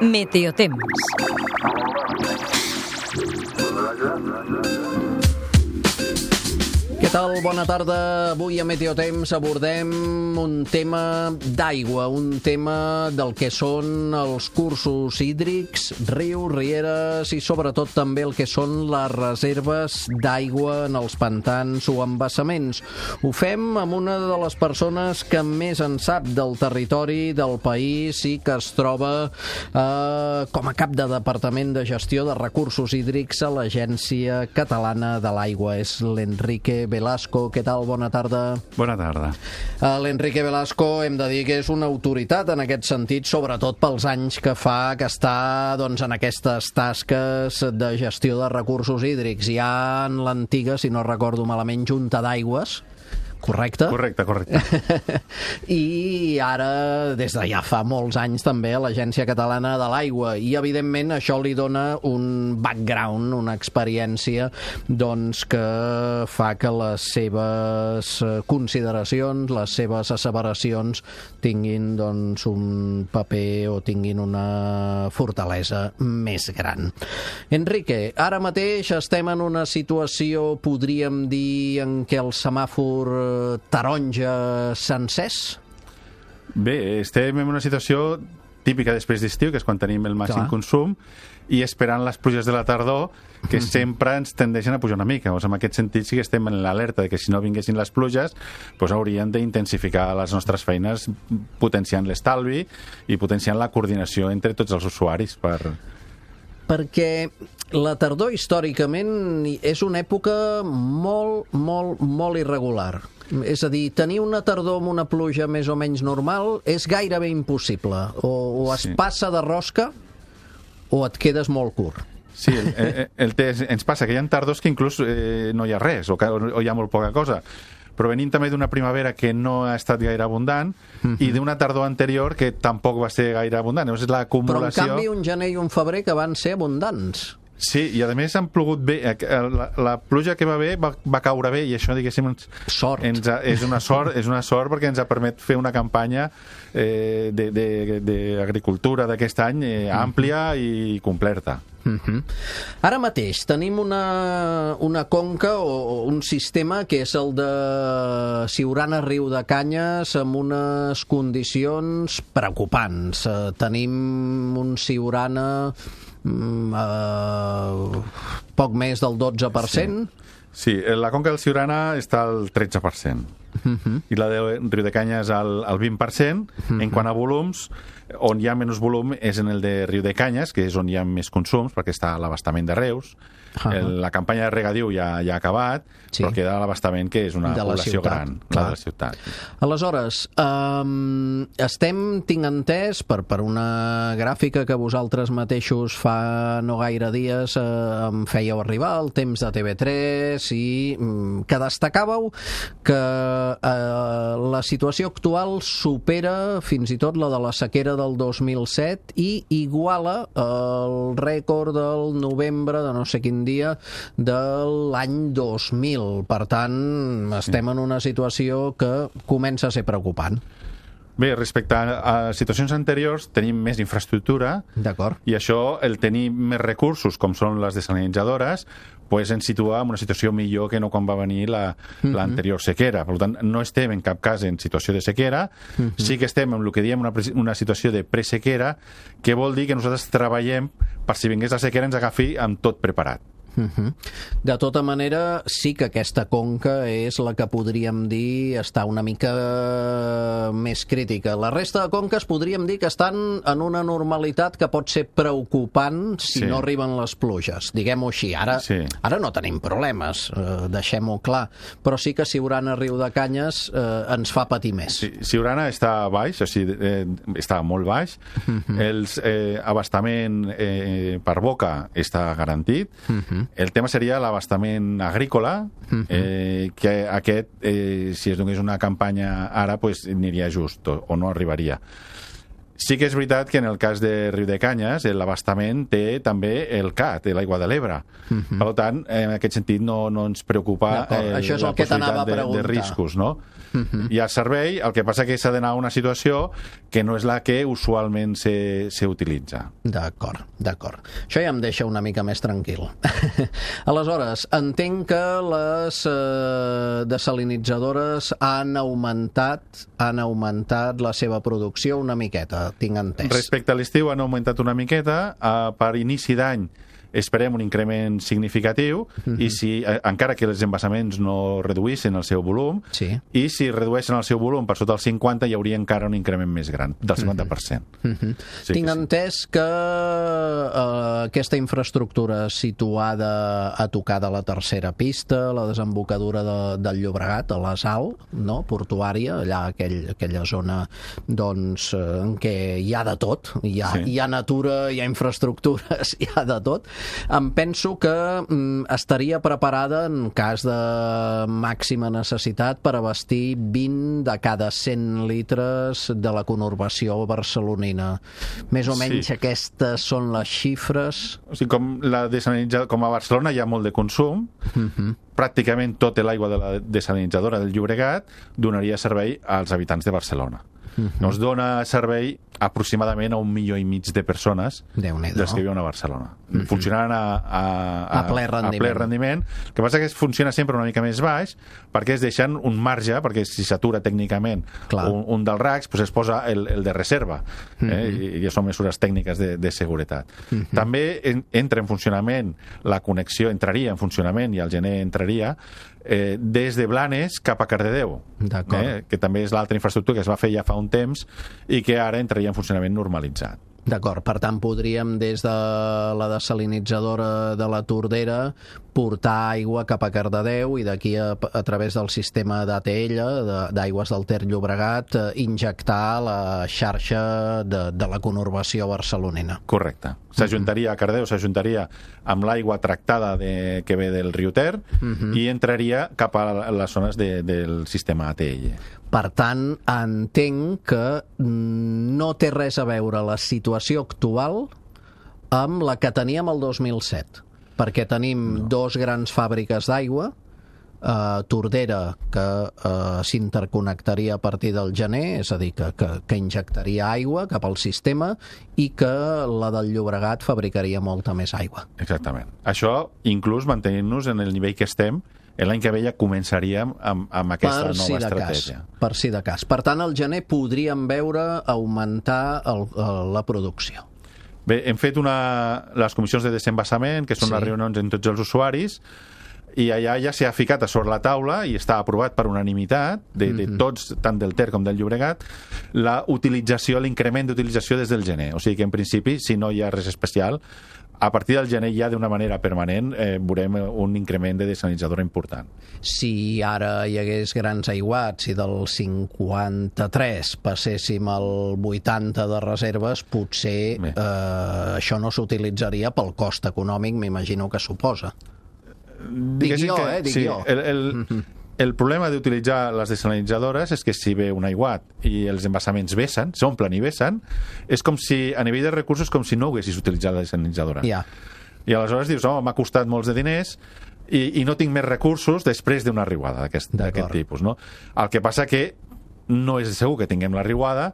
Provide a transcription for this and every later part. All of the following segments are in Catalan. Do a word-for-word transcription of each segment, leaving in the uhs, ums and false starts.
Meteotemps. Què tal? Bona tarda. Avui a Meteotemps abordem un tema d'aigua, un tema del que són els cursos hídrics, rius, rieres i sobretot també el que són les reserves d'aigua en els pantans o embassaments. Ho fem amb una de les persones que més en sap del territori, del país i que es troba eh, com a cap de Departament de Gestió de Recursos Hídrics a l'Agència Catalana de l'Aigua. És l'Enrique Velasco. Què tal? Bona tarda. Bona tarda. Uh, L'Enrique Velasco hem de dir que és una autoritat en aquest sentit, sobretot pels anys que fa que està doncs, en aquestes tasques de gestió de recursos hídrics. Ja en l'antiga, si no recordo malament, Junta d'Aigües, correcte? Correcte, correcte. I ara, des de ja fa molts anys també, a l'Agència Catalana de l'Aigua. I, evidentment, això li dona un background, una experiència doncs, que fa que les seves consideracions, les seves asseveracions tinguin doncs, un paper o tinguin una fortalesa més gran. Enrique, ara mateix estem en una situació, podríem dir, en què el semàfor taronja s'ha encès? Bé, estem en una situació típica després d'estiu, que és quan tenim el màxim Clar. consum, i esperant les pluges de la tardor, que sempre ens tendeixen a pujar una mica. O sigui, en aquest sentit sí que estem en l'alerta de que si no vinguessin les pluges, doncs hauríem d'intensificar les nostres feines potenciant l'estalvi i potenciant la coordinació entre tots els usuaris per... Perquè la tardor històricament és una època molt, molt, molt irregular. És a dir, tenir una tardor amb una pluja més o menys normal és gairebé impossible. O, o es Sí. passa de rosca o et quedes molt curt. Sí, el, el, el, el, ens passa que hi ha tardors que inclús eh, no hi ha res, o, que, o hi ha molt poca cosa. Però venim també d'una primavera que no ha estat gaire abundant uh-huh. i d'una tardor anterior que tampoc va ser gaire abundant. Llavors, és l'acumulació... Però, en canvi, un gener i un febrer que van ser abundants. Sí, i a més han plogut bé. La, la pluja que va bé va, va caure bé i això, diguéssim, ens, Sort. ens ha, és una sort és una sort perquè ens ha permet fer una campanya eh, d'agricultura d'aquest any eh, àmplia i completa. Uh-huh. Ara mateix tenim una, una conca o, o un sistema que és el de Siurana Riu de Canyes amb unes condicions preocupants. Uh, tenim un Siurana mm, uh, poc més del dotze per cent. Sí. sí, la conca del Siurana està al tretze per cent. Uh-huh. I la de Riu de Canyes al, al vint per cent. Uh-huh. En quant a volums, on hi ha menys volum és en el de Riu de Canyes, que és on hi ha més consums, perquè està a l'abastament de Reus. Uh-huh. el, la campanya de regadiu ja, ja ha acabat, sí. però queda l'abastament, que és una població ciutat, gran, la de la ciutat. Aleshores, um, estem, tinc entès, per, per una gràfica que vosaltres mateixos fa no gaire dies uh, em fèieu arribar, el temps de T V tres, i um, que destacàveu que uh, la situació actual supera fins i tot la de la sequera del dos mil set i iguala el rècord del novembre de no sé quin dia de l'any dos mil. Per tant, estem en una situació que comença a ser preocupant. Bé, respecte a, a situacions anteriors, tenim més infraestructura. D'acord. I això, el tenir més recursos, com són les desalinitzadores, pues ens situa en una situació millor que no quan va venir la, uh-huh. l'anterior sequera. Per tant, no estem en cap cas en situació de sequera, uh-huh. sí que estem en el que diem una, una situació de presequera, que vol dir que nosaltres treballem per si vingués la sequera ens agafi amb tot preparat. Uh-huh. De tota manera, sí que aquesta conca és la que podríem dir està una mica més crítica. La resta de conques podríem dir que estan en una normalitat que pot ser preocupant si sí. no arriben les pluges. Diguem-ho així. Ara, sí. ara no tenim problemes, eh, deixem-ho clar. Però sí que Siurana Riu de Canyes eh, ens fa patir més. Sí, Siurana està baix, o sigui, eh, està molt baix. Uh-huh. El eh, abastament eh, per boca està garantit. Uh-huh. El tema seria l'abastament agrícola, uh-huh. eh, que aquest, eh, si es donés una campanya ara, pues, aniria just o, o no arribaria. Sí que és veritat que en el cas de Riudecanyes l'abastament té també el C A T, l'aigua de l'Ebre. Uh -huh. Per tant, en aquest sentit no, no ens preocupa eh, Això és la el que t'anava a possibilitat de, de riscos, no? Uh -huh. Hi ha servei, el que passa que s'ha d'anar a una situació que no és la que usualment se, se utilitza. D'acord, d'acord. Això ja em deixa una mica més tranquil. Aleshores, entenc que les eh, desalinitzadores han augmentat, han augmentat la seva producció una miqueta, tinc entès. Respecte a l'estiu han augmentat una miqueta, eh, per inici d'any esperem un increment significatiu uh-huh. i si, eh, encara que els embassaments no reduïssin el seu volum, sí. i si redueixen el seu volum per sota el cinquanta hi hauria encara un increment més gran, del cinquanta per cent. Uh-huh. Sí Tinc que entès sí. que eh, aquesta infraestructura situada a tocar de la tercera pista, la desembocadura de, del Llobregat, a la Sal, no? Portuària, allà aquell, aquella zona doncs, en què hi ha de tot, hi ha, sí. hi ha natura, hi ha infraestructures, hi ha de tot. Em penso que mm, estaria preparada en cas de màxima necessitat per abastir vint de cada cent litres de la conurbació barcelonina. Més o menys sí. aquestes són les xifres. O sigui, com, la com a Barcelona hi ha molt de consum, uh-huh. pràcticament tota l'aigua de la desalinitzadora del Llobregat donaria servei als habitants de Barcelona. Uh-huh. Nos dona servei aproximadament a un milió i mig de persones dels que viuen a Barcelona. Uh-huh. Funcionaran a, a, a, a, ple rendiment. a ple rendiment. El que passa és que funciona sempre una mica més baix perquè es deixen un marge, perquè si s'atura tècnicament un, un dels racks, pues es posa el, el de reserva. Uh-huh. eh? I, I són mesures tècniques de, de seguretat. Uh-huh. També en, entra en funcionament la connexió, entraria en funcionament i al gener entraria eh, des de Blanes cap a Cardedeu, eh? que també és l'altra infraestructura que es va fer ja fa un temps i que ara entraria en funcionament normalitzat. D'acord, per tant podríem des de la desalinitzadora de la Tordera portar aigua cap a Cardedeu i d'aquí a, a través del sistema d'A T L, d'aigües del Ter Llobregat, eh, injectar la xarxa de, de la conurbació barcelonina. Correcte. S'ajuntaria a Cardedeu, s'ajuntaria amb l'aigua tractada de, que ve del riu Ter uh-huh. i entraria cap a les zones de, del sistema A T L. Per tant, entenc que no té res a veure la situació actual amb la que teníem el dos mil set, perquè tenim no. dos grans fàbriques d'aigua, eh, Tordera, que eh, s'interconnectaria a partir del gener, és a dir, que, que, que injectaria aigua cap al sistema, i que la del Llobregat fabricaria molta més aigua. Exactament. Això inclús mantenint-nos en el nivell que estem. L'any que ve ja començaríem amb, amb aquesta per nova si estratègia. Cas, per si de cas. Per tant, al gener podríem veure augmentar el, el, la producció. Bé, hem fet una, les comissions de desembassament, que són sí. les reunions amb tots els usuaris, i allà ja s'ha ficat a sobre la taula i està aprovat per unanimitat de, de tots, tant del Ter com del Llobregat, la utilització, l'increment d'utilització des del gener. O sigui que en principi, si no hi ha res especial, a partir del gener ja d'una manera permanent eh, veurem un increment de desalinitzadora important. Si ara hi hagués grans aiguats i del cinquanta-tres passéssim al vuitanta de reserves, potser eh, això no s'utilitzaria pel cost econòmic, m'imagino que suposa. Dic jo, que, eh? Dic sí, jo. El, el, mm-hmm. el problema d'utilitzar les desalinitzadores és que si ve un aiguat i els embassaments vessen, s'omplen i vessen, és com si, a nivell de recursos, com si no haguessis utilitzat la desalinitzadora. Yeah. I aleshores dius, oh, m'ha costat molts de diners i, i no tinc més recursos després d'una riuada d'aquest tipus. No? El que passa que no és segur que tinguem la riuada,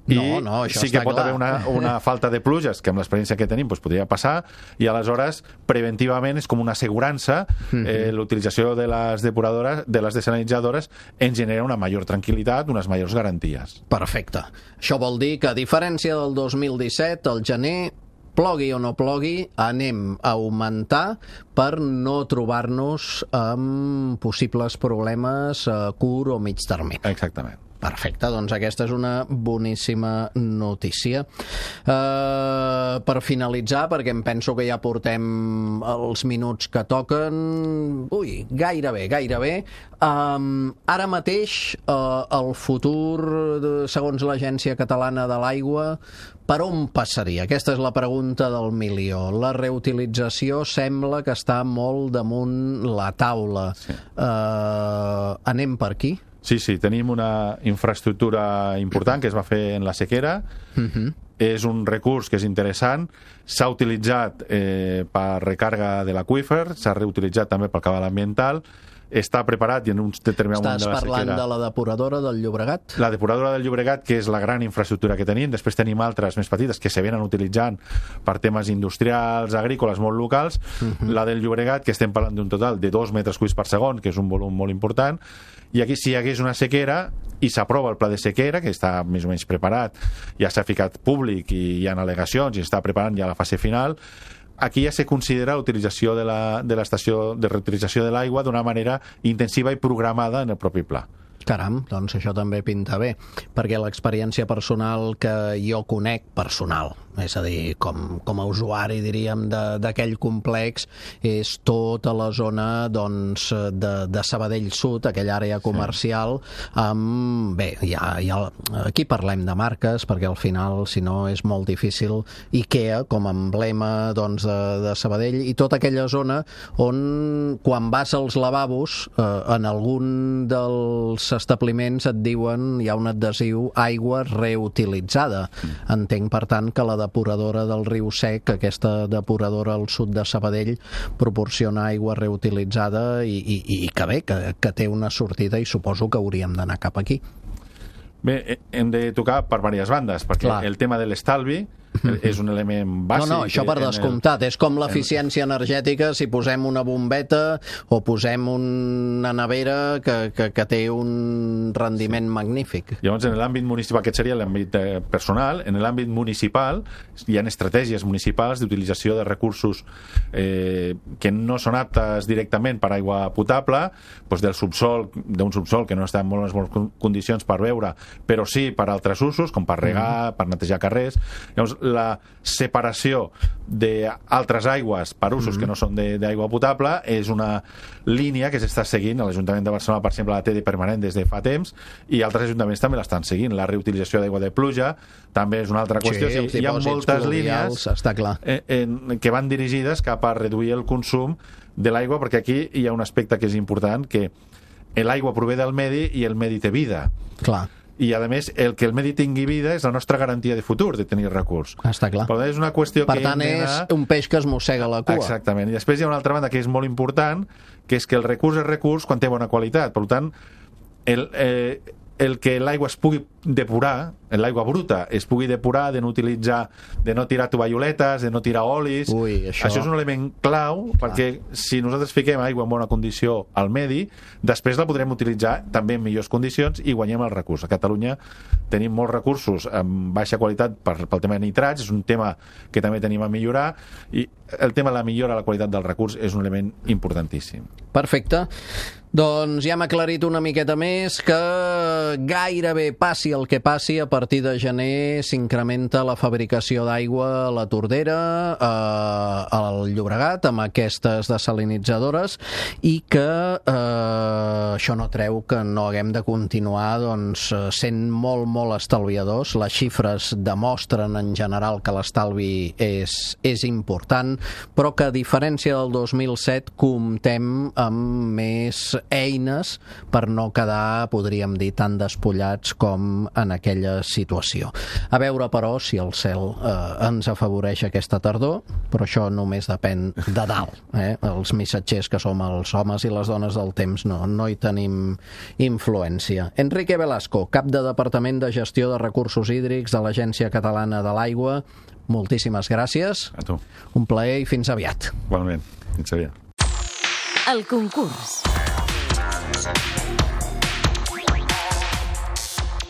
i no, no, això sí que pot clar. haver una, una falta de pluges, que amb l'experiència que tenim doncs podria passar, i aleshores preventivament és com una assegurança. eh, l'utilització de les depuradores, de les desalinitzadores ens genera una major tranquil·litat, unes majors garanties. Perfecte. Això vol dir que a diferència del dos mil disset, al gener, plogui o no plogui, anem a augmentar per no trobar-nos amb possibles problemes a curt o mig termini. Exactament. Perfecte, doncs aquesta és una boníssima notícia. Uh, per finalitzar, perquè em penso que ja portem els minuts que toquen, ui, gairebé, gairebé, um, ara mateix uh, el futur, segons l'Agència Catalana de l'Aigua, per on passaria? Aquesta és la pregunta del milió. La reutilització sembla que està molt damunt la taula. Sí. Uh, anem per aquí? Sí, sí, tenim una infraestructura important que es va fer en la sequera. Uh-huh. És un recurs que és interessant. S'ha utilitzat eh, per recarga de l'aqüífer, s'ha reutilitzat també pel cabal ambiental. Està preparat i en un determinat moment de la sequera... Estàs parlant de la depuradora del Llobregat? La depuradora del Llobregat, que és la gran infraestructura que tenim. Després tenim altres més petites que se venen utilitzant per temes industrials, agrícoles, molt locals. Uh-huh. La del Llobregat, que estem parlant d'un total de dos metres cúbics per segon, que és un volum molt important. I aquí, si hi hagués una sequera i s'aprova el pla de sequera, que està més o menys preparat, ja s'ha ficat públic i hi ha al·legacions i està preparant ja la fase final, aquí ja se considera l'utilització de la, de l'estació de reutilització de l'aigua d'una manera intensiva i programada en el propi pla. Caram, doncs això també pinta bé, perquè l'experiència personal que jo conec, personal, és a dir, com, com a usuari, diríem, d'aquell complex, és tota la zona doncs, de, de Sabadell Sud, aquella àrea comercial, amb... Bé, ja, ja, aquí parlem de marques, perquè al final, si no, és molt difícil. IKEA, com a emblema doncs, de, de Sabadell, i tota aquella zona on, quan vas als lavabos, eh, en algun dels establiments et diuen, hi ha un adhesiu, aigua reutilitzada. Entenc, per tant, que la depuradora del Riu Sec, aquesta depuradora al sud de Sabadell, proporciona aigua reutilitzada i, i, i que bé, que, que té una sortida i suposo que hauríem d'anar cap aquí. Bé, hem de tocar per diverses bandes, perquè Clar. el tema de l'estalvi és un element bàsic. No, no, això per descomptat. El... És com l'eficiència energètica si posem una bombeta o posem una nevera que, que, que té un rendiment sí. magnífic. Llavors, en l'àmbit municipal, aquest seria l'àmbit eh, personal, en l'àmbit municipal hi ha estratègies municipals d'utilització de recursos eh, que no són aptes directament per aigua potable, doncs del subsol, d'un subsol que no està en molt bones condicions per beure, però sí per altres usos, com per regar, mm. per netejar carrers. Llavors, la separació d'altres aigües per usos mm-hmm. que no són d'aigua potable és una línia que s'està seguint. A l'Ajuntament de Barcelona, per exemple, la té de permanent des de fa temps i altres ajuntaments també l'estan seguint. La reutilització d'aigua de pluja també és una altra qüestió. Sí, sí, hi ha moltes línies està clar. En, en, que van dirigides cap a reduir el consum de l'aigua, perquè aquí hi ha un aspecte que és important, que l'aigua prové del medi i el medi té vida. Clar. I, a més, el que el medi tingui vida és la nostra garantia de futur, de tenir recurs. Està clar. Per tant, és una qüestió per que tant, és anar... un peix que es mossega la cua. Exactament. I després hi ha una altra banda que és molt important, que és que el recurs és recurs quan té bona qualitat. Per tant, el, eh, el que l'aigua es pugui depurar, l'aigua bruta, es pugui depurar, de no utilitzar, de no tirar tovalloletes, de no tirar olis. Ui, això... això és un element clau, clar. Perquè si nosaltres fiquem aigua en bona condició al medi, després la podrem utilitzar també en millors condicions i guanyem el recurs. A Catalunya tenim molts recursos amb baixa qualitat per, pel tema de nitrats, és un tema que també tenim a millorar, i el tema de la millora de la qualitat del recurs és un element importantíssim. Perfecte. Doncs ja hem aclarit una miqueta més que gairebé passi el que passi, a partir de gener s'incrementa la fabricació d'aigua a la Tordera, eh, al Llobregat, amb aquestes desalinitzadores, i que eh, això no treu que no haguem de continuar doncs, sent molt, molt estalviadors. Les xifres demostren en general que l'estalvi és, és important, però que a diferència del dos mil set comptem amb més eines per no quedar, podríem dir, tan despullats com en aquella situació. A veure, però, si el cel eh, ens afavoreix aquesta tardor, però això només depèn de dalt. Eh? Els missatgers que som els homes i les dones del temps no, no hi tenim influència. Enrique Velasco, cap de Departament de Gestió de Recursos Hídrics de l'Agència Catalana de l'Aigua, moltíssimes gràcies. A tu. Un plaer i fins aviat. Igualment, fins aviat. El concurs.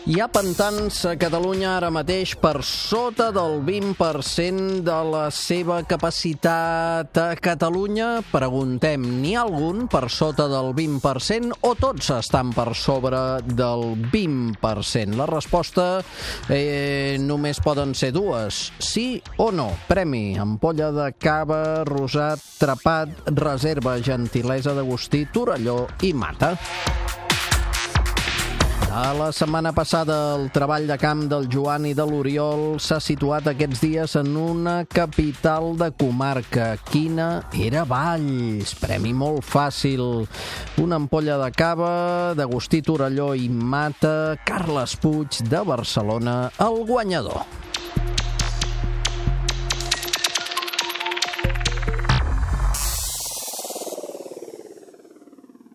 Hi ha pantans a Catalunya ara mateix per sota del vint per cent de la seva capacitat. A Catalunya, preguntem, n'hi ha algun per sota del vint per cent o tots estan per sobre del vint per cent? La resposta eh, només poden ser dues, sí o no. Premi, ampolla de cava, rosat, trapat, reserva, gentilesa d'Agustí, Torelló i Mata. A la setmana passada, el treball de camp del Joan i de l'Oriol s'ha situat aquests dies en una capital de comarca. Quina era Valls? Premi molt fàcil. Una ampolla de cava d'Agustí Torelló i Mata, Carles Puig, de Barcelona, el guanyador.